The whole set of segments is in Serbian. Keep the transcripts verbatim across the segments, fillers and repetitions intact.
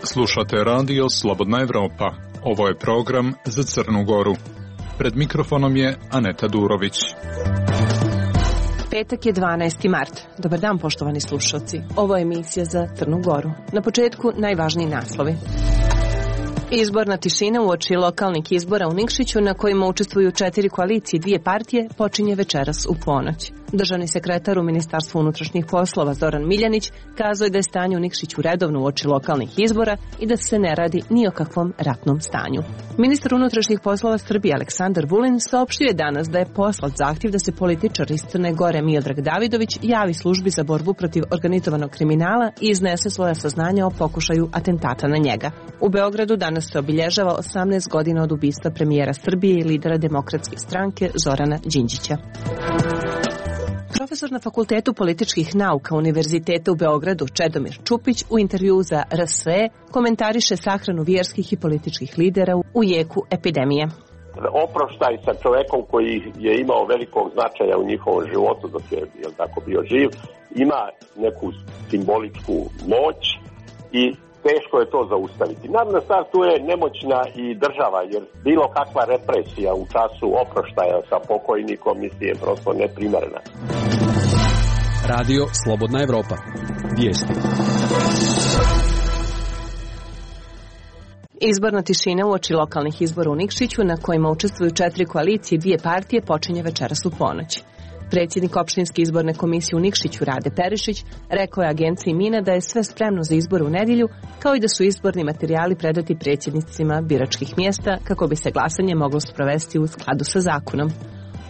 Slušate radio Slobodna Evropa. Ovo je program za Crnu Goru. Pred mikrofonom je Aneta Durović. Petak je dvanaesti mart. Dobar dan, poštovani slušalci. Ovo je emisija za Crnu Goru. Na početku najvažniji naslovi. Izborna tišina uoči lokalnih izbora u Nikšiću, na kojima učestvuju četiri koalicije i dvije partije, počinje večeras u ponoć. Državni sekretar u Ministarstvu unutrašnjih poslova Zoran Miljanić kazao je da je stanje u Nikšiću redovno uoči lokalnih izbora i da se ne radi ni o kakvom ratnom stanju. Ministar unutrašnjih poslova Srbije Aleksandar Vulin saopštio je danas da je poslat zahtjev da se političar iz Crne Gore Miodrag Davidović javi službi za borbu protiv organizovanog kriminala i iznese svoja saznanja o pokušaju atentata na njega. U Beogradu danas se obilježava osamnaest godina od ubistva premijera Srbije i lidera Demokratske stranke Zorana Đinđića. Profesor na Fakultetu političkih nauka Univerziteta u Beogradu Čedomir Čupić u intervjuu za R S E komentariše sahranu vjerskih i političkih lidera u jeku epidemije. Oproštaj sa čovekom koji je imao velikog značaja u njihovom životu dok je, je tako bio živ, ima neku simboličku moć i teško je to zaustaviti. Naravno, stvar tu je nemoćna i država, jer bilo kakva represija u času oproštaja sa pokojnikom je prosto neprimerena. Radio Slobodna Evropa. Vijesti. Izborna tišina uoči lokalnih izbora u Nikšiću, na kojima učestvuju četiri koalicije i dvije partije, počinje večeras u ponoć. Predsjednik opštinske izborne komisije u Nikšiću Rade Perišić rekao je agenciji Mina da je sve spremno za izbore u nedjelju, kao i da su izborni materijali predati predsjednicima biračkih mjesta kako bi se glasanje moglo sprovesti u skladu sa zakonom.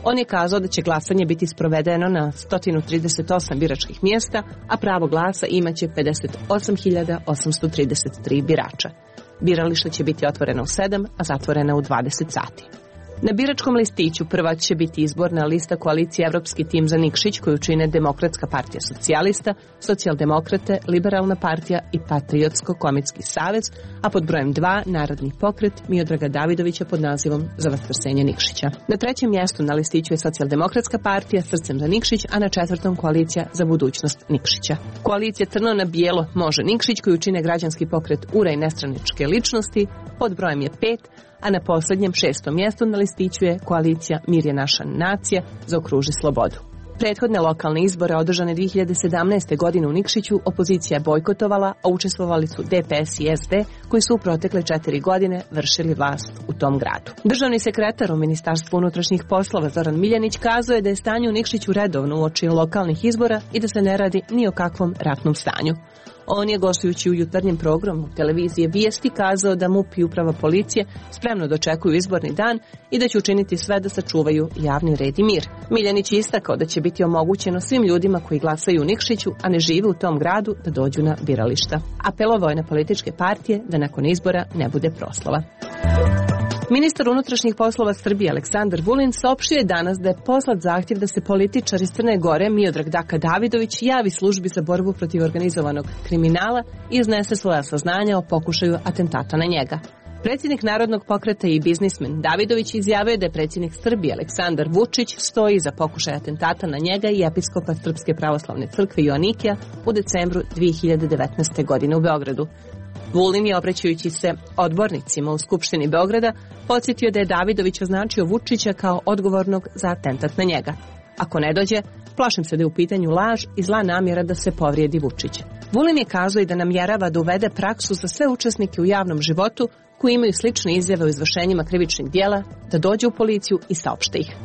On je kazao da će glasanje biti sprovedeno na sto trideset osam biračkih mjesta, a pravo glasa imaće pedeset osam hiljada osamsto trideset tri birača. Birališta će biti otvorena u sedam, a zatvorena u dvadeset sati. Na biračkom listiću prva će biti izborna lista koalicije Evropski tim za Nikšić, koju čine Demokratska partija socijalista, Socijaldemokrate, Liberalna partija i Patriotsko-komitski savez, a pod brojem dva Narodni pokret Miodraga Davidovića pod nazivom Za vaskrsenje Nikšića. Na trećem mjestu na listiću je Socijaldemokratska partija Srcem za Nikšić, a na četvrtom koalicija Za budućnost Nikšića. Koalicija Crno na bijelo Može Nikšić, koju čine građanski pokret Ura i nestranačke ličnosti, pod brojem je pet, a na posljednjem šestom mjestu na listiću je koalicija Mir je naša nacija, Zaokruži slobodu. Prethodne lokalne izbore održane dvije hiljade sedamnaeste. godine u Nikšiću opozicija je bojkotovala, a učestvovali su D P S i S D, koji su u protekle četiri godine vršili vlast u tom gradu. Državni sekretar u Ministarstvu unutrašnjih poslova Zoran Miljanić kazao je da je stanje u Nikšiću redovno uoči lokalnih izbora i da se ne radi ni o kakvom ratnom stanju. On je, gostujući u jutarnjem programu televizije Vijesti, kazao da M U P i uprava policije spremno dočekuju izborni dan i da će učiniti sve da sačuvaju javni red i mir. Miljanić je istakao da će biti omogućeno svim ljudima koji glasaju u Nikšiću, a ne žive u tom gradu, da dođu na birališta. Apelovao je na političke partije da nakon izbora ne bude proslava. Ministar unutrašnjih poslova Srbije Aleksandar Vulin saopštio je danas da je poslat zahtjev da se političar iz Crne Gore Miodrag Daka Davidović javi službi za borbu protiv organizovanog kriminala i iznese svoja saznanja o pokušaju atentata na njega. Predsjednik Narodnog pokreta i biznismen Davidović izjavio da je predsjednik Srbije Aleksandar Vučić stoji za pokušaj atentata na njega i episkopa Srpske pravoslavne crkve Joanikija u decembru dvije hiljade devetnaeste. godine u Beogradu. Vulin je, obraćajući se odbornicima u Skupštini Beograda, podsjetio da je Davidović označio Vučića kao odgovornog za atentat na njega. Ako ne dođe, plašim se da je u pitanju laž i zla namjera da se povrijedi Vučić. Vulin je kazao i da namjerava da uvede praksu za sve učesnike u javnom životu koji imaju slične izjave o izvršenjima krivičnih djela, da dođe u policiju i saopšte ih.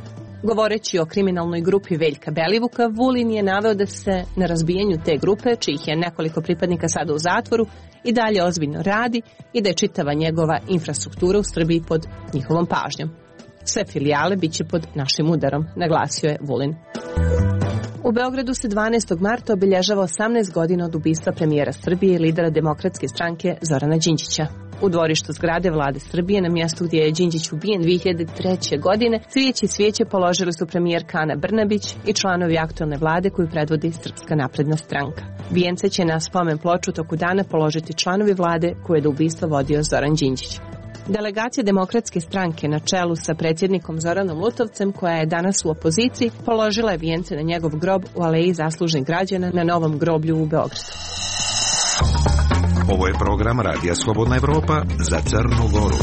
Govoreći o kriminalnoj grupi Veljka Belivuka, Vulin je naveo da se na razbijanju te grupe, čijih je nekoliko pripadnika sada u zatvoru, i dalje ozbiljno radi i da je čitava njegova infrastruktura u Srbiji pod njihovom pažnjom. Sve filijale bit će pod našim udarom, naglasio je Vulin. U Beogradu se dvanaestog marta obilježava osamnaest godina od ubistva premijera Srbije i lidera Demokratske stranke Zorana Đinđića. U dvorištu zgrade vlade Srbije, na mjestu gdje je Đinđić ubijen dvije hiljade treće. godine, cvijeće i svijeće položili su premijerka Ana Brnabić i članovi aktualne vlade koju predvodi Srpska napredna stranka. Vijence će na spomen ploču toku dana položiti članovi vlade koje je do ubistva vodio Zoran Đinđić. Delegacija Demokratske stranke na čelu sa predsjednikom Zoranom Lutovcem, koja je danas u opoziciji, položila je vijence na njegov grob u Aleji zaslužnih građana na Novom groblju u Beogradu. Ovo je program Radija Slobodna Evropa za Crnu Goru.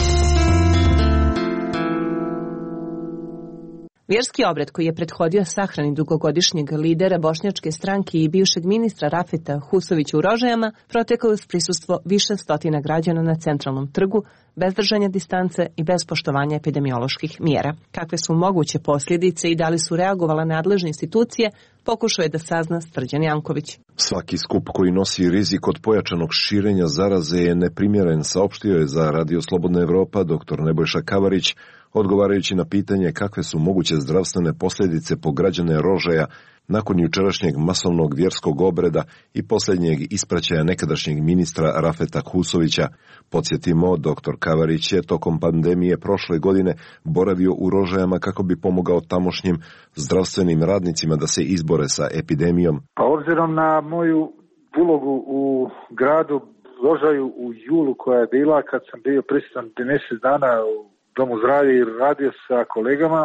Vjerski obred koji je prethodio sahrani dugogodišnjeg lidera bošnjačke stranke i bivšeg ministra Rafeta Husovića u Rožajama protekao uz prisustvo više stotina građana na centralnom trgu, bez držanja distance i bez poštovanja epidemioloških mjera. Kakve su moguće posljedice i da li su reagovale nadležne institucije, pokušao je da sazna Srđan Janković. Svaki skup koji nosi rizik od pojačanog širenja zaraze je neprimjeren, saopštio je za Radio Slobodna Evropa doktor Nebojša Kavarić, odgovarajući na pitanje kakve su moguće zdravstvene posljedice po građane Rožaja nakon jučerašnjeg masovnog vjerskog obreda i posljednjeg ispraćaja nekadašnjeg ministra Rafeta Husovića. Podsjetimo, doktor Kavarić je tokom pandemije prošle godine boravio u Rožajama kako bi pomogao tamošnjim zdravstvenim radnicima da se izbore sa epidemijom. Pa obzirom na moju ulogu u gradu Rožaju u julu koja je bila kad sam bio prisutan mjesec dana u Domu zdravlja i radio sa kolegama,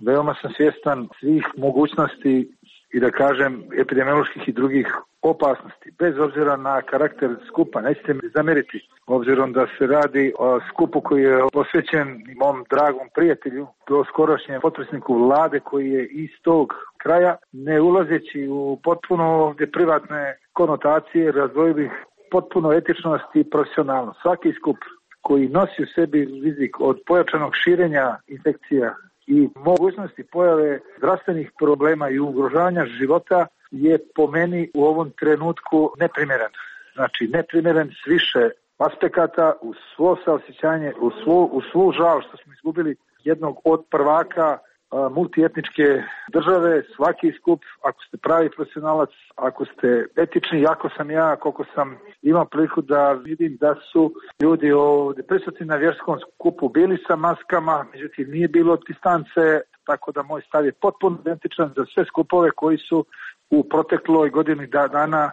veoma sam svjestan svih mogućnosti i da kažem epidemioloških i drugih opasnosti, bez obzira na karakter skupa. Nećete mi zameriti, obzirom da se radi o skupu koji je posvećen mom dragom prijatelju, do skorošnjem potpredsjedniku vlade koji je iz tog kraja, ne ulazeći u potpuno ovdje privatne konotacije, razdvojio bih potpuno etičnost i profesionalnost. Svaki skup koji nosi u sebi rizik od pojačanog širenja infekcija i mogućnosti pojave zdravstvenih problema i ugrožavanja života je po meni u ovom trenutku neprimjeren. Znači neprimjeren s više aspekata, u svo saosjećanje, u svu, u svu žal što smo izgubili jednog od prvaka multietničke države. Svaki skup, ako ste pravi profesionalac, ako ste etični, jako sam ja, koliko sam imao priliku da vidim da su ljudi ovdje prisutni na vjerskom skupu bili sa maskama, međutim nije bilo distance, tako da moj stav je potpuno identičan za sve skupove koji su u protekloj godini dana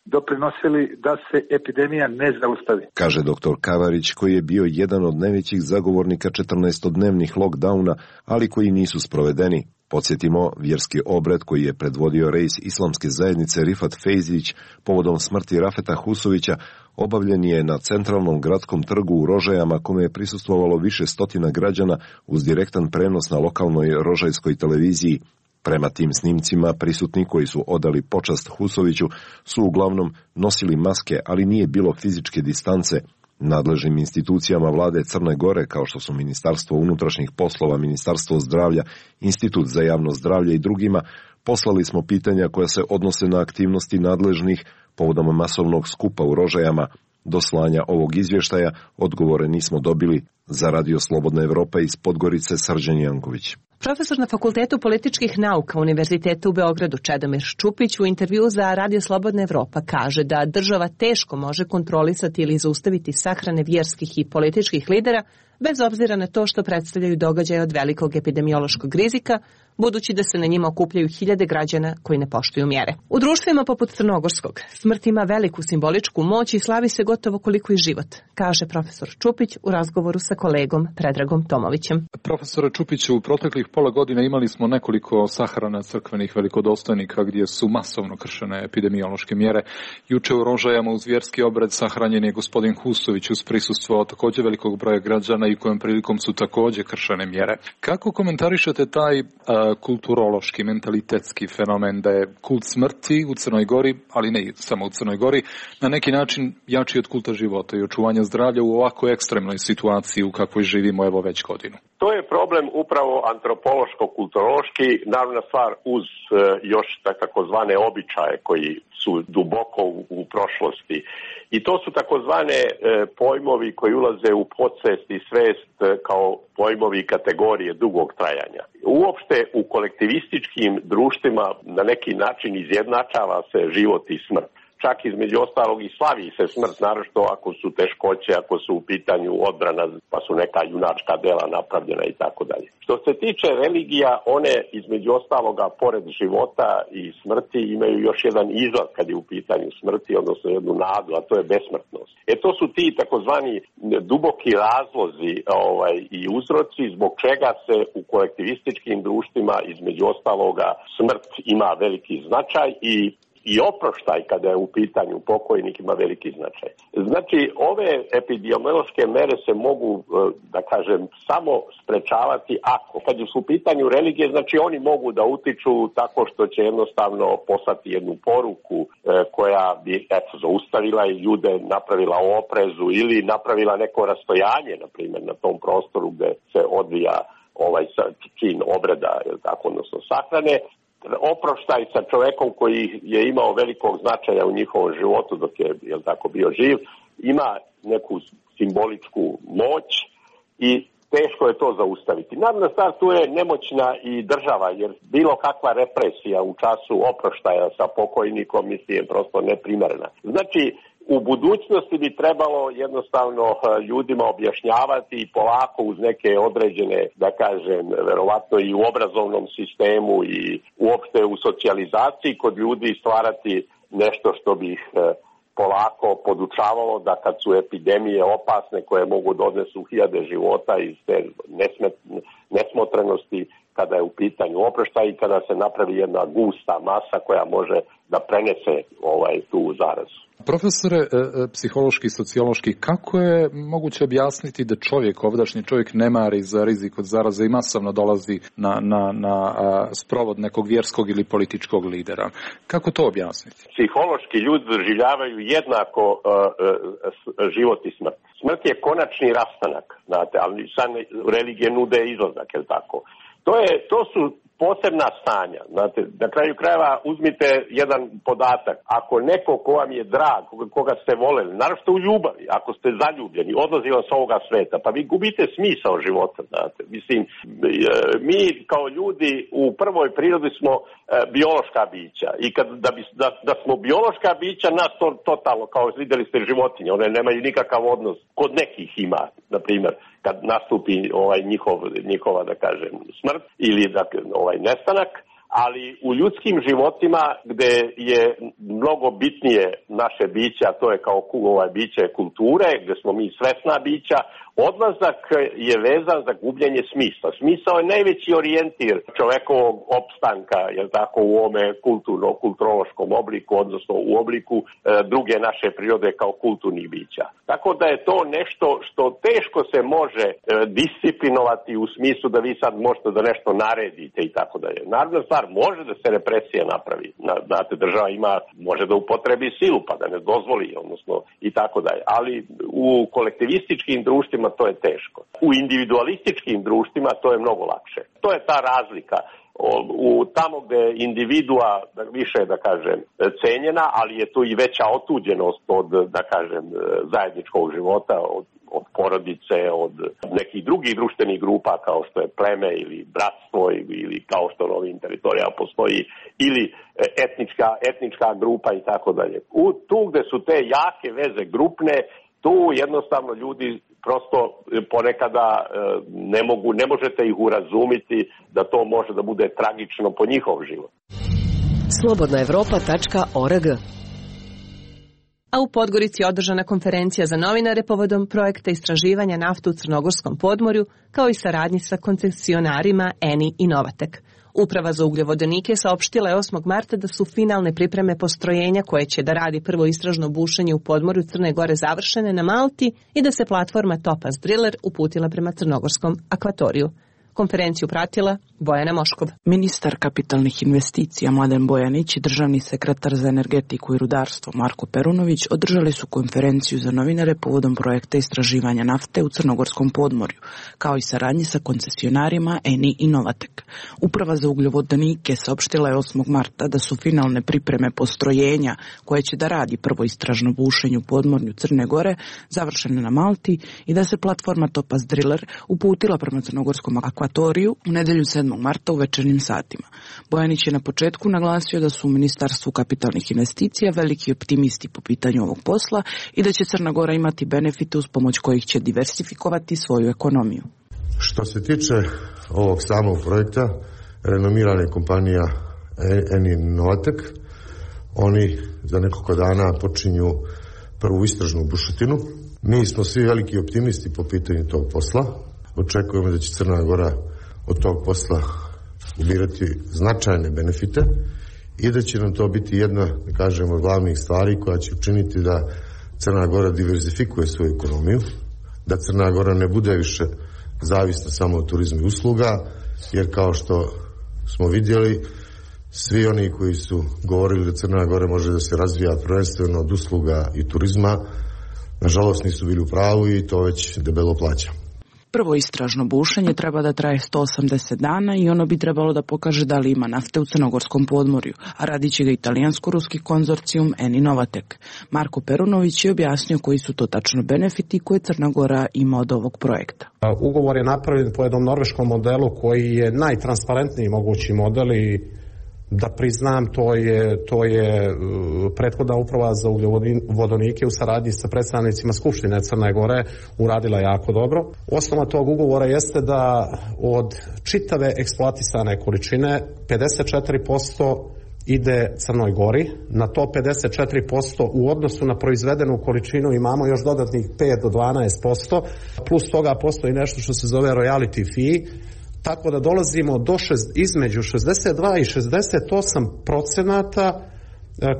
doprinosili da se epidemija ne zaustavi. Kaže doktor Kavarić, koji je bio jedan od najvećih zagovornika četrnaestodnevnih lockdowna, ali koji nisu sprovedeni. Podsjetimo, vjerski obred koji je predvodio rejs islamske zajednice Rifat Fejzić povodom smrti Rafeta Husovića obavljen je na centralnom gradskom trgu u Rožajama, kome je prisustvovalo više stotina građana uz direktan prenos na lokalnoj rožajskoj televiziji. Prema tim snimcima, prisutni koji su odali počast Husoviću su uglavnom nosili maske, ali nije bilo fizičke distance. Nadležnim institucijama vlade Crne Gore, kao što su Ministarstvo unutrašnjih poslova, Ministarstvo zdravlja, Institut za javno zdravlje i drugima, poslali smo pitanja koja se odnose na aktivnosti nadležnih povodom masovnog skupa u Rožajama. Do slanja ovog izvještaja odgovore nismo dobili. Za Radio Slobodna Evropa iz Podgorice Srđan Janković. Profesor na Fakultetu političkih nauka Univerziteta u Beogradu Čedomir Ščupić u intervju za Radio Slobodna Evropa kaže da država teško može kontrolisati ili zaustaviti sahrane vjerskih i političkih lidera bez obzira na to što predstavljaju događaje od velikog epidemiološkog rizika, budući da se na njima okupljaju hiljade građana koji ne poštuju mjere. U društvima poput Crnogorskog smrt ima veliku simboličku moć i slavi se gotovo koliko i život, kaže profesor Čupić u razgovoru sa kolegom Predragom Tomovićem. Profesore Čupiću, u proteklih pola godina imali smo nekoliko sahrana crkvenih velikodostojnika gdje su masovno kršene epidemiološke mjere. Juče u Rožajama uz vjerski obred sahranjen je gospodin Husović uz prisustvo također velikog broja građana i kojom prilikom su također kršene mjere. Kako komentarišete taj uh, kulturološki, mentalitetski fenomen da je kult smrti u Crnoj Gori, ali ne samo u Crnoj Gori, na neki način jači od kulta života i očuvanja zdravlja u ovako ekstremnoj situaciji u kakvoj živimo evo već godinu? To je problem upravo antropološko-kulturološki, naravna stvar uz uh, još takozvane običaje koji su duboko u, u prošlosti. I to su takozvane e, pojmovi koji ulaze u podsvest i svest e, kao pojmovi i kategorije dugog trajanja. Uopšte u kolektivističkim društvima na neki način izjednačava se život i smrt. čak između ostalog i slavi se smrt, naročito ako su teškoće, ako su u pitanju odbrana, pa su neka junačka dela napravljena i tako dalje. Što se tiče religija, one između ostaloga pored života i smrti imaju još jedan izlaz kad je u pitanju smrti, odnosno jednu nadu, a to je besmrtnost. E to su ti takozvani duboki razlozi ovaj, i uzroci zbog čega se u kolektivističkim društvima između ostaloga smrt ima veliki značaj i i oproštaj kada je u pitanju pokojnik ima veliki značaj. Znači, ove epidemiološke mere se mogu, da kažem, samo sprečavati ako. Kad su u pitanju religije, znači oni mogu da utiču tako što će jednostavno poslati jednu poruku koja bi eto, zaustavila i ljude, napravila oprezu ili napravila neko rastojanje, na primjer, na tom prostoru gde se odvija ovaj čin obreda, tako, odnosno sahrane. Oproštaj sa čovekom koji je imao velikog značaja u njihovom životu dok je, jel tako, bio živ, ima neku simboličku moć i teško je to zaustaviti. Naravno, stvar tu je nemoćna i država, jer bilo kakva represija u času oproštaja sa pokojnikom mislim je prosto neprimerena. Znači, u budućnosti bi trebalo jednostavno ljudima objašnjavati i polako uz neke određene, da kažem, verovatno i u obrazovnom sistemu i uopšte u socijalizaciji kod ljudi stvarati nešto što bi ih polako podučavalo da kad su epidemije opasne koje mogu da odnesu hiljade života iz te nesmotrenosti, kada je u pitanju oproštaj i kada se napravi jedna gusta masa koja može da prenese ovaj tu zarazu. Profesore, psihološki i sociološki, kako je moguće objasniti da čovjek, ovdašnji čovjek, ne mari za rizik od zaraze i masovno dolazi na, na, na sprovod nekog vjerskog ili političkog lidera? Kako to objasniti? Psihološki ljudi doživljavaju jednako uh, uh, život i smrt. Smrt je konačni rastanak, znate, ali sad religije nude izlazak, je li tako? To, je, to su posebna stanja. Znate, na kraju krajeva uzmite jedan podatak. Ako neko ko vam je drag, koga ste voleli, naravno u ljubavi, ako ste zaljubljeni, odlazi vam s ovoga sveta, pa vi gubite smisao života. Znate. Mislim, mi kao ljudi u prvoj prirodi smo e, biološka bića i kad, da, bi, da, da smo biološka bića, nas to totalno, kao vidjeli ste životinje, one nemaju nikakav odnos, kod nekih ima, na primjer, kad nastupi ovaj njihov, njihova, da kažem, smrt ili da, ovaj nestanak, ali u ljudskim životima gde je mnogo bitnije naše biće, a to je kao ovaj biće kulture, gde smo mi svesna bića, odlazak je vezan za gubljenje smisla. Smisao je najveći orijentir čovekovog opstanka, jel tako, u ovome kulturno-kulturološkom obliku, odnosno u obliku e, druge naše prirode kao kulturnih bića. Tako da je to nešto što teško se može e, disciplinovati u smislu da vi sad možete da nešto naredite i tako dalje. Naravno stvar, može da se represija napravi. Znate, država ima, može da upotrebi silu pa da ne dozvoli, odnosno i tako dalje. Ali u kolektivističkim društvima to je teško. U individualističkim društvima to je mnogo lakše. To je ta razlika. U tamo gde je individua više, da kažem, cenjena, ali je tu i veća otuđenost od, da kažem, zajedničkog života, od, od porodice, od nekih drugih društvenih grupa kao što je pleme ili bratstvo ili kao što na ovim teritorijama postoji ili etnička, etnička grupa i tako dalje. U tu gde su te jake veze grupne, tu jednostavno ljudi prosto ponekada ne mogu, ne možete ih urazumiti da to može da bude tragično po njihov život. slobodna evropa tačka org. A u Podgorici je održana konferencija za novinare povodom projekta istraživanja nafte u Crnogorskom podmorju, kao i saradnji sa koncesionarima Eni i Novatek. Uprava za ugljovodenike saopštila je osmog marta da su finalne pripreme postrojenja koje će da radi prvo istražno bušenje u podmorju Crne Gore završene na Malti i da se platforma Topaz Driller uputila prema crnogorskom akvatoriju. Konferenciju pratila Bojana Moškov. Ministar kapitalnih investicija Mladen Bojanić i državni sekretar za energetiku i rudarstvo Marko Perunović održali su konferenciju za novinare povodom projekta istraživanja nafte u Crnogorskom podmorju, kao i saradnji sa koncesionarima Eni i Novatek. Uprava za ugljovodenike saopštila je osmog marta da su finalne pripreme postrojenja koje će da radi prvo istražno bušenje u podmorju Crne Gore završene na Malti i da se platforma Topaz Driller uputila prema crnogorskom akvatoriju Ekvatoriju u nedelju sedmog marta u večernjim satima. Bojanić je na početku naglasio da su u Ministarstvu kapitalnih investicija veliki optimisti po pitanju ovog posla i da će Crna Gora imati benefite uz pomoć kojih će diversifikovati svoju ekonomiju. Što se tiče ovog samog projekta, renomirana kompanija Eni Novatek, oni za nekoliko dana počinju prvu istražnu bušotinu. Mi smo svi veliki optimisti po pitanju tog posla. Očekujemo da će Crna Gora od tog posla ubirati značajne benefite i da će nam to biti jedna, da kažemo, od glavnih stvari koja će učiniti da Crna Gora diverzifikuje svoju ekonomiju, da Crna Gora ne bude više zavisna samo od turizma i usluga, jer kao što smo vidjeli, svi oni koji su govorili da Crna Gora može da se razvija prvenstveno od usluga i turizma, nažalost nisu bili u pravu i to već debelo plaća. Prvo istražno bušenje treba da traje sto osamdeset dana i ono bi trebalo da pokaže da li ima nafte u crnogorskom podmorju, a radit će ga italijansko-ruski konzorcijum Eni Novatek. Marko Perunović je objasnio koji su to tačno benefiti koje Crna Gora ima od ovog projekta. Ugovor je napravljen po jednom norveškom modelu koji je najtransparentniji mogući model i da priznam, to je, to je prethodna uprava za ugljovodonike u saradnji sa predstavnicima Skupštine Crne Gore uradila jako dobro. Osnova tog ugovora jeste da od čitave eksploatisane količine pedeset četiri posto ide Crnoj Gori. Na to pedeset četiri posto u odnosu na proizvedenu količinu imamo još dodatnih pet do dvanaest posto. Plus toga postoji nešto što se zove royalty fee, tako da dolazimo do šest, između šezdeset dva i šezdeset osam procenata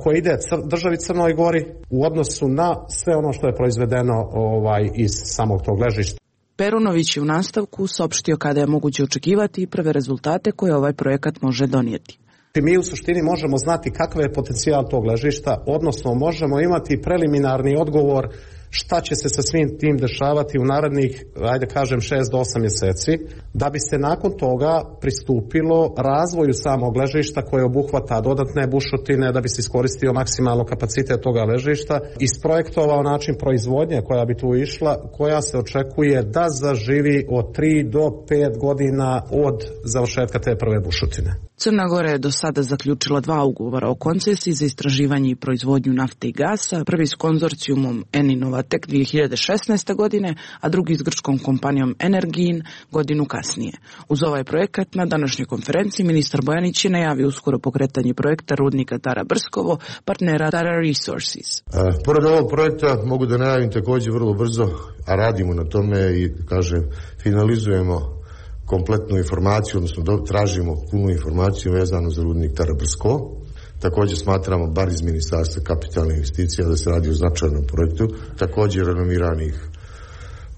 koje ide državi Crnoj Gori u odnosu na sve ono što je proizvedeno ovaj, iz samog tog ležišta. Perunović je u nastavku saopštio kada je moguće očekivati i prve rezultate koje ovaj projekat može donijeti. Mi u suštini možemo znati kakav je potencijal tog ležišta, odnosno možemo imati preliminarni odgovor šta će se sa svim tim dešavati u narednih, ajde kažem, šest do osam mjeseci, da bi se nakon toga pristupilo razvoju samog ležišta koje obuhvata dodatne bušotine, da bi se iskoristio maksimalno kapacitet toga ležišta, isprojektovao način proizvodnje koja bi tu išla, koja se očekuje da zaživi od tri do pet godina od završetka te prve bušotine. Crna Gora je do sada zaključila dva ugovora o koncesiji za istraživanje i proizvodnju nafte i gasa, prvi s konzorcijumom Eni Novatek dvije hiljade šesnaeste. godine, a drugi s grčkom kompanijom Energin godinu kasnije. Uz ovaj projekat na današnjoj konferenciji ministar Bojanić je najavio uskoro pokretanje projekta rudnika Tara Brskovo, partnera Tara Resources. A, pored ovog projekta mogu da najavim također vrlo brzo, a radimo na tome i, kažem, finalizujemo kompletnu informaciju, odnosno tražimo punu informaciju vezanu za rudnik Tara Brskovo. Također smatramo, bar iz Ministarstva kapitalnih investicija, da se radi o značajnom projektu, također renomiranih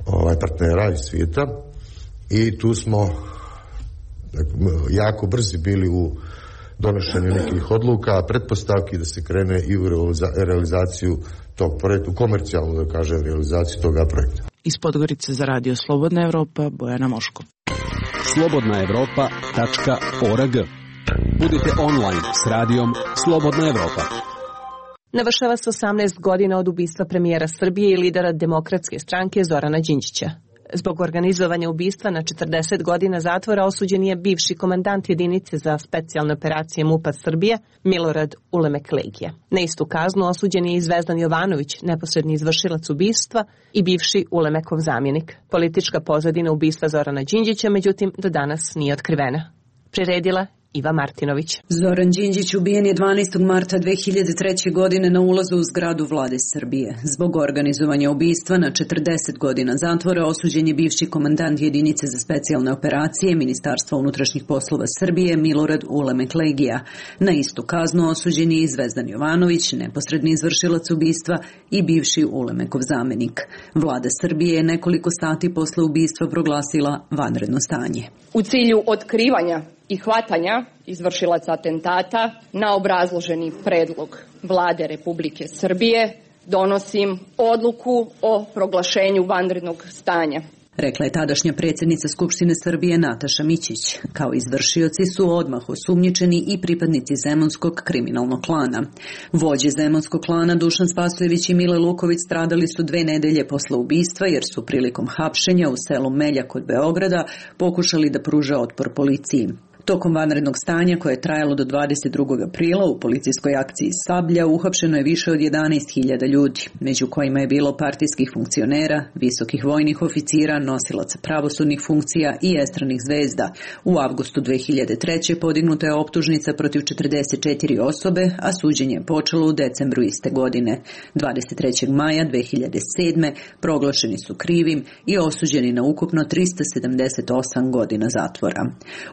ovaj, partnera iz svijeta, i tu smo jako brzi bili u donošenju nekih odluka, pretpostavki da se krene i u realizaciju tog projekta, u komercijalnu, da kažem, realizaciju toga projekta. Iz Podgorice za Radio Slobodna Evropa, Bojana Moško. slobodna evropa tačka org. Budite online s radijom Slobodna Evropa. Navršava se osamnaest godina od ubistva premijera Srbije i lidera Demokratske stranke Zorana Đinđića. Zbog organizovanja ubistva na četrdeset godina zatvora osuđen je bivši komandant jedinice za specijalne operacije MUP-a Srbije Milorad Ulemek Legija. Na istu kaznu osuđen je i Zvezdan Jovanović, neposredni izvršilac ubistva i bivši Ulemekov zamjenik. Politička pozadina ubistva Zorana Đinđića, međutim, do danas nije otkrivena. Priredila Iva Martinović. Zoran Đinđić ubijen je dvanaestog marta dve hiljade treće. godine na ulazu u zgradu vlade Srbije. Zbog organizovanja ubistva na četrdeset godina zatvora osuđen je bivši komandant jedinice za specijalne operacije Ministarstva unutrašnjih poslova Srbije Milorad Ulemek Legija. Na istu kaznu osuđen je i Zvezdan Jovanović, neposredni izvršilac ubistva i bivši Ulemekov zamenik. Vlada Srbije je nekoliko sati posle ubistva proglasila vanredno stanje. U cilju otkrivanja i hvatanja izvršilaca atentata na obrazloženi predlog Vlade Republike Srbije donosim odluku o proglašenju vanrednog stanja. rekla je tadašnja predsjednica Skupštine Srbije Nataša Mićić. Kao izvršioci su odmah osumnjičeni i pripadnici zemunskog kriminalnog klana. Vođe zemunskog klana Dušan Spasojević i Mile Luković stradali su dve nedelje posle ubistva jer su prilikom hapšenja u selu Melja kod Beograda pokušali da pruže otpor policiji. Tokom vanrednog stanja koje je trajalo do dvadeset drugog aprila u policijskoj akciji Sablja uhapšeno je više od jedanaest hiljada ljudi, među kojima je bilo partijskih funkcionera, visokih vojnih oficira, nosilaca pravosudnih funkcija i estranih zvezda. U avgustu dve hiljade treće. podignuta je optužnica protiv četrdeset četiri osobe, a suđenje je počelo u decembru iste godine. dvadeset trećeg maja dve hiljade sedme. proglašeni su krivim i osuđeni na ukupno trista sedamdeset osam godina zatvora.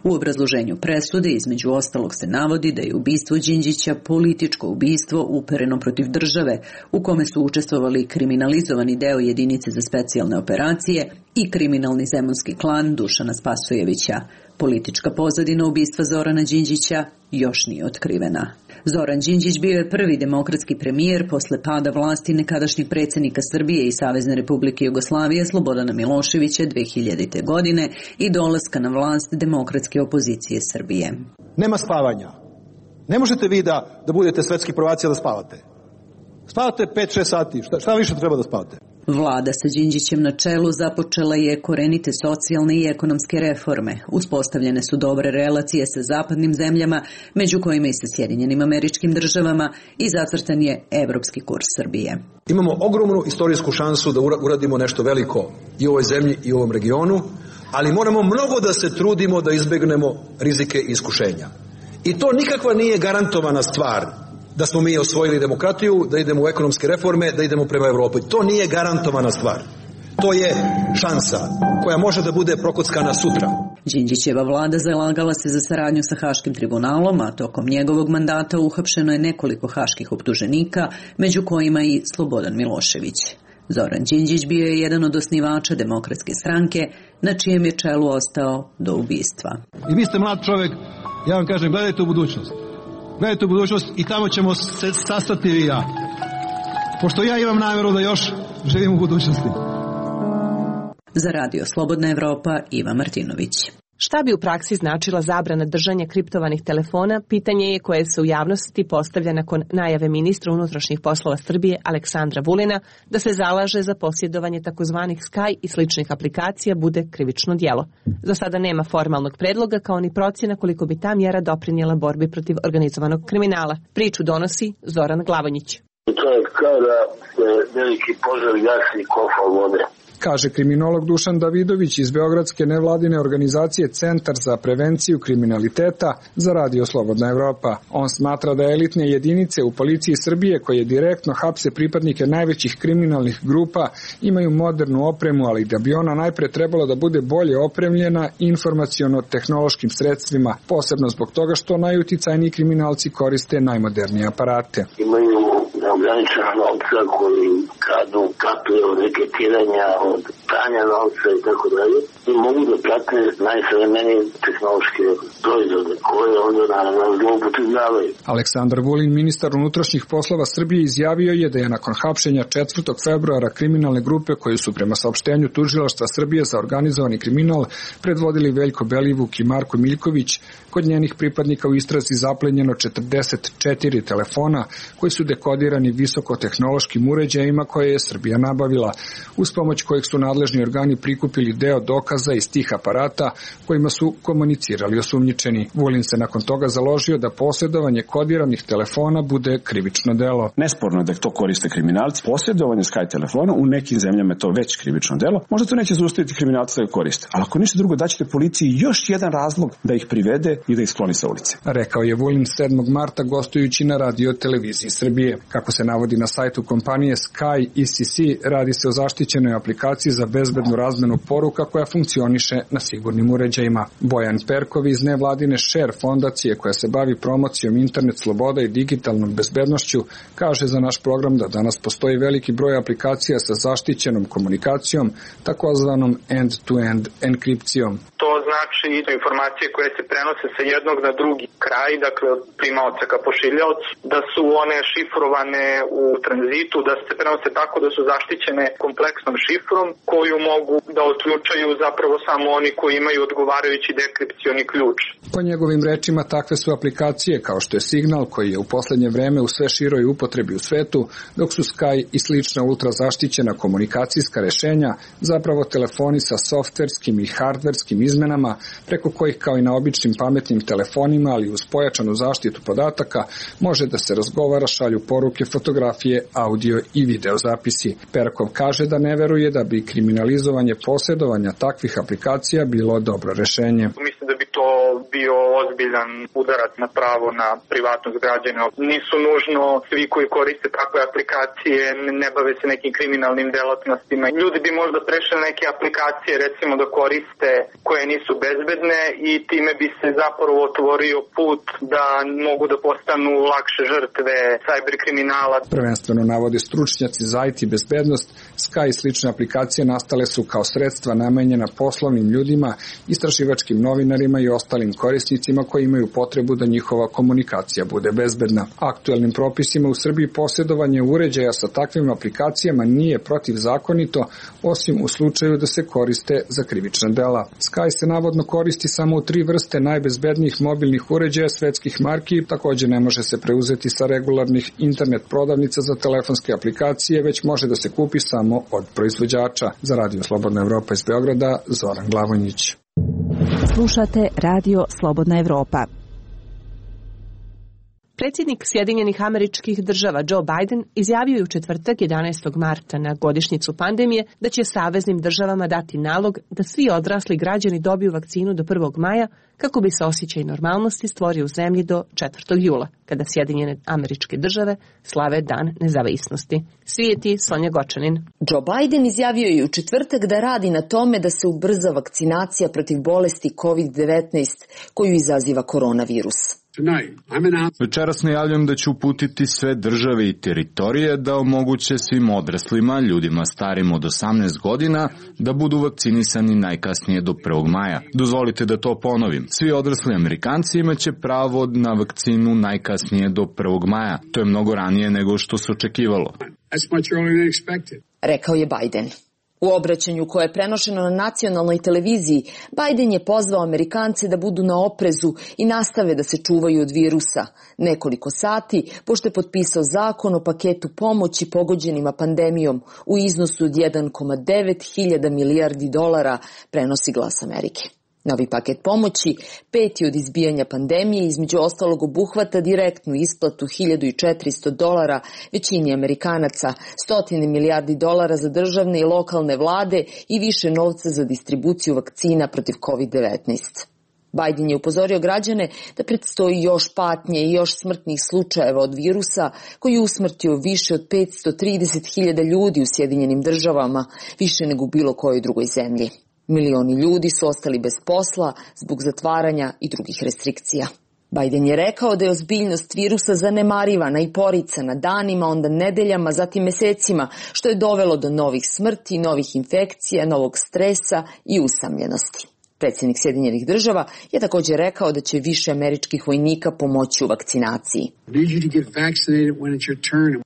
U obrazloženju presude između ostalog se navodi da je ubistvo Đinđića političko ubistvo upereno protiv države u kome su učestvovali kriminalizovani deo jedinice za specijalne operacije i kriminalni zemunski klan Dušana Spasojevića. Politička pozadina ubistva Zorana Đinđića još nije otkrivena. Zoran Đinđić bio je prvi demokratski premijer posle pada vlasti nekadašnjeg predsjednika Srbije i Savezne Republike Jugoslavije Slobodana Miloševića dve hiljadite. godine i dolaska na vlast demokratske opozicije Srbije. Nema spavanja. Ne možete vi da, da budete svetski prvaci da spavate. Spavate pet šest sati. Šta, šta više treba da spavate? Vlada sa Đinđićem na čelu započela je korenite socijalne i ekonomske reforme. Uspostavljene su dobre relacije sa zapadnim zemljama, među kojima i sa Sjedinjenim Američkim Državama, i zacrtan je evropski kurs Srbije. Imamo ogromnu istorijsku šansu da uradimo nešto veliko i u ovoj zemlji i u ovom regionu, ali moramo mnogo da se trudimo da izbegnemo rizike i iskušenja. I to nikakva nije garantovana stvar da smo mi osvojili demokratiju, da idemo u ekonomske reforme, da idemo prema Evropi. To nije garantovana stvar. To je šansa koja može da bude prokockana sutra. Đinđićeva vlada zalagala se za saradnju sa Haškim tribunalom, a tokom njegovog mandata uhapšeno je nekoliko haških optuženika, među kojima i Slobodan Milošević. Zoran Đinđić bio je jedan od osnivača Demokratske stranke, na čijem je čelu ostao do ubistva. I vi ste mlad čovjek, ja vam kažem, gledajte u budućnost. Gledajte u budućnost i tamo ćemo se sastati i ja. Pošto ja imam namjeru da još živim u budućnosti. Za Radio Slobodna Evropa, Iva Martinović. Šta bi u praksi značila zabrana držanja kriptovanih telefona, pitanje je koje se u javnosti postavlja nakon najave ministra unutrašnjih poslova Srbije Aleksandra Vulina da se zalaže za posjedovanje takozvanih Sky i sličnih aplikacija bude krivično djelo. Za sada nema formalnog predloga kao ni procjena koliko bi ta mjera doprinijela borbi protiv organizovanog kriminala. Priču donosi Zoran Glavonjić. To je kao da se veliki požar gasi kofa vode. Kaže kriminolog Dušan Davidović iz beogradske nevladine organizacije Centar za prevenciju kriminaliteta za Radio Slobodna Evropa. On smatra da elitne jedinice u policiji Srbije koje direktno hapse pripadnike najvećih kriminalnih grupa imaju modernu opremu, ali da bi ona najpre trebala da bude bolje opremljena informaciono-tehnološkim sredstvima, posebno zbog toga što najuticajniji kriminalci koriste najmodernije aparate. Imaju neograničena novca koji kradu kapije od reketiranja, od pranja novca i tako dalje. I mogu da prate najsavremenije tehnološke proizvode koje onda naravno zloupotrebljavaju. Aleksandar Vulin, ministar unutrašnjih poslova Srbije, izjavio je da je nakon hapšenja četvrtog februara kriminalne grupe koje su prema saopštenju Tužilaštva Srbije za organizovani kriminal predvodili Veljko Belivuk i Marko Miljković, kod njenih pripadnika u istrazi zaplenjeno četrdeset četiri telefona koji su dekodirani visokotehnološkim uređajima koje je Srbija nabavila, uz pomoć kojeg su nadležni organi prikupili deo dokaza iz tih aparata kojima su komunicirali osumnjičeni. Vulin se nakon toga založio da posjedovanje kodiranih telefona bude krivično delo. Nesporno je da to koriste kriminalci. Posjedovanje Sky telefona u nekim zemljama je to već krivično delo. Možda to neće zaustaviti kriminalci da ga koriste, ali ako ništa drugo daćete policiji još jedan razlog da ih privede i da ih skloni sa ulice. Rekao je Vulin sedmog marta gostujući na Radio televiziji Srbije. Kako se navodi na sajtu kompanije Sky E C C, radi se o zaštićenoj aplikaciji za bezbednu razmenu poruka koja funkcioniše na sigurnim uređajima. Bojan Perkov iz nevladine Share fondacije koja se bavi promocijom internet sloboda i digitalnom bezbednošću kaže za naš program da danas postoji veliki broj aplikacija sa zaštićenom komunikacijom, takozvanom end-to-end enkripcijom. To znači da informacije koje se prenose sa jednog na drugi kraj, dakle od primaoca ka pošiljaocu, da su one šifrovane u tranzitu, da se prenose tako da su zaštićene kompleksnom šifrom koju mogu da otključaju zapravo samo oni koji imaju odgovarajući dekripcioni ključ. Po njegovim rečima, takve su aplikacije kao što je Signal, koji je u poslednje vreme u sve široj upotrebi u svetu, dok su Sky i slična ultrazaštićena komunikacijska rešenja zapravo telefoni sa softverskim i hardverskim izmenama, preko kojih kao i na običnim pametnim telefonima, ali uz pojačanu zaštitu podataka, može da se razgovara, šalju poruke, fotografije, audio i video zapisi. Perkov kaže da ne veruje da bi kriminalizovanje posjedovanja takvih aplikacija bilo dobro rešenje. Mislim da bi to bio ozbiljan udarac na pravo na privatnost građana. Nisu nužno svi koji koriste takve aplikacije, ne bave se nekim kriminalnim delatnostima. Ljudi bi možda prešli neke aplikacije, recimo da koriste koje nisu bezbedne i time bi se zapravo otvorio put da mogu da postanu lakše žrtve sajber kriminala. Prvenstveno navode stručnjaci za I T bezbednost, Sky i slične aplikacije nastale su kao sredstva namenjena poslovnim ljudima, istraživačkim novinarima i ostalim korisnicima koji imaju potrebu da njihova komunikacija bude bezbedna. Aktuelnim propisima u Srbiji posjedovanje uređaja sa takvim aplikacijama nije protivzakonito, osim u slučaju da se koriste za krivična dela. Sky se navodno koristi samo u tri vrste najbezbednijih mobilnih uređaja svetskih marki, takođe ne može se preuzeti sa regularnih internet prodavnica za telefonske aplikacije, već može da se kupi samo od proizvođača. Za Radio Slobodna Evropa iz Beograda, Zoran Glavonjić. Slušate Radio Slobodna Evropa. Predsjednik Sjedinjenih Američkih Država Joe Biden izjavio je u četvrtak jedanaestog marta na godišnjicu pandemije da će saveznim državama dati nalog da svi odrasli građani dobiju vakcinu do prvog maja kako bi se osjećaj normalnosti stvorio u zemlji do četvrtog jula, kada Sjedinjene Američke Države slave Dan nezavisnosti. Svijeti Sonja Gočanin. Joe Biden izjavio je u četvrtak da radi na tome da se ubrza vakcinacija protiv bolesti kovid devetnaest koju izaziva koronavirus. Večeras najavljam da ću uputiti sve države i teritorije da omoguće svim odraslima, ljudima starim od osamnaest godina, da budu vakcinisani najkasnije do prvog maja. Dozvolite da to ponovim. Svi odrasli Amerikanci imaće pravo na vakcinu najkasnije do prvog maja. To je mnogo ranije nego što se očekivalo. Rekao je Biden. U obraćanju koje je prenošeno na nacionalnoj televiziji, Biden je pozvao Amerikance da budu na oprezu i nastave da se čuvaju od virusa. Nekoliko sati, pošto je potpisao zakon o paketu pomoći pogođenima pandemijom u iznosu od jedan zarez devet hiljada milijardi dolara, prenosi Glas Amerike. Novi paket pomoći, peti od izbijanja pandemije, između ostalog obuhvata direktnu isplatu hiljadu četiristo dolara većini Amerikanaca, stotine milijardi dolara za državne i lokalne vlade i više novca za distribuciju vakcina protiv kovid devetnaest. Biden je upozorio građane da predstoji još patnje i još smrtnih slučajeva od virusa koji je usmrtio više od petsto trideset hiljada ljudi u Sjedinjenim Državama, više nego u bilo kojoj drugoj zemlji. Milioni ljudi su ostali bez posla zbog zatvaranja i drugih restrikcija. Biden je rekao da je ozbiljnost virusa zanemarivana i poricana danima, onda nedeljama, zatim mesecima, što je dovelo do novih smrti, novih infekcija, novog stresa i usamljenosti. Predsjednik Sjedinjenih Država je također rekao da će više američkih vojnika pomoći u vakcinaciji.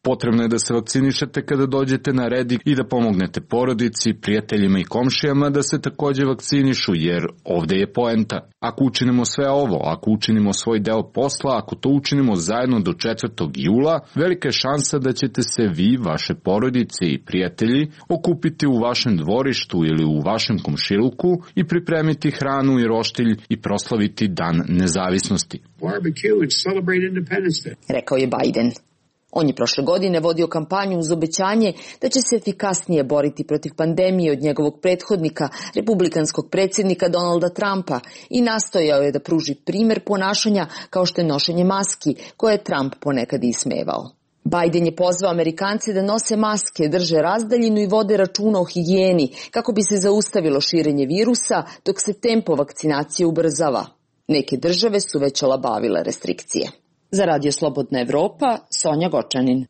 Potrebno je da se vakcinišete kada dođete na red i da pomognete porodici, prijateljima i komšijama da se također vakcinišu, jer ovdje je poenta. Ako učinimo sve ovo, ako učinimo svoj deo posla, ako to učinimo zajedno do četvrtog jula, velika je šansa da ćete se vi, vaše porodice i prijatelji okupiti u vašem dvorištu ili u vašem komšiluku i pripremiti hranu i roštilj i proslaviti Dan nezavisnosti. Rekao je Biden. On je prošle godine vodio kampanju uz obećanje da će se efikasnije boriti protiv pandemije od njegovog prethodnika, republikanskog predsjednika Donalda Trumpa, i nastojao je da pruži primer ponašanja kao što je nošenje maski, koje je Trump ponekad ismevao. Biden je pozvao Amerikance da nose maske, drže razdaljinu i vode računa o higijeni kako bi se zaustavilo širenje virusa dok se tempo vakcinacije ubrzava. Neke države su već olabavile restrikcije. Za Radio Slobodna Evropa, Sonja Gočanin.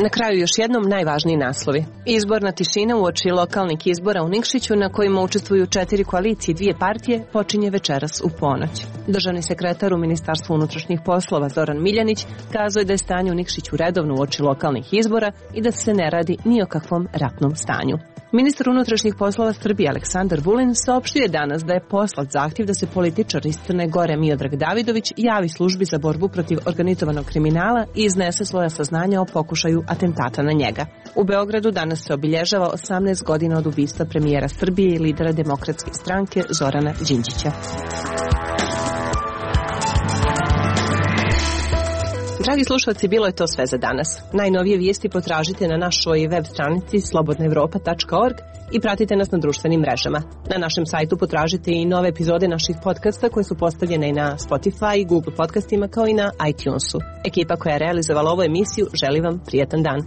Na kraju još jednom najvažniji naslovi. Izborna tišina uoči lokalnih izbora u Nikšiću na kojima učestvuju četiri koalicije i dvije partije počinje večeras u ponoć. Državni sekretar u Ministarstvu unutrašnjih poslova Zoran Miljanić kazao je da je stanje u Nikšiću redovno uoči lokalnih izbora i da se ne radi ni o kakvom ratnom stanju. Ministar unutrašnjih poslova Srbije Aleksandar Vulin saopštio je danas da je poslat zahtjev da se političar iz Crne Gore Miodrag Davidović javi službi za borbu protiv organizovanog kriminala i iznese svoja saznanja o pokušaju atentata na njega. U Beogradu danas se obilježava osamnaest godina od ubistva premijera Srbije i lidera Demokratske stranke Zorana Đinđića. Dragi slušalci, bilo je to sve za danas. Najnovije vijesti potražite na našoj web stranici slobodna evropa tačka org i pratite nas na društvenim mrežama. Na našem sajtu potražite i nove epizode naših podcasta koje su postavljene i na Spotify i Google podcastima kao i na iTunesu. Ekipa koja je realizovala ovu emisiju želi vam prijatan dan.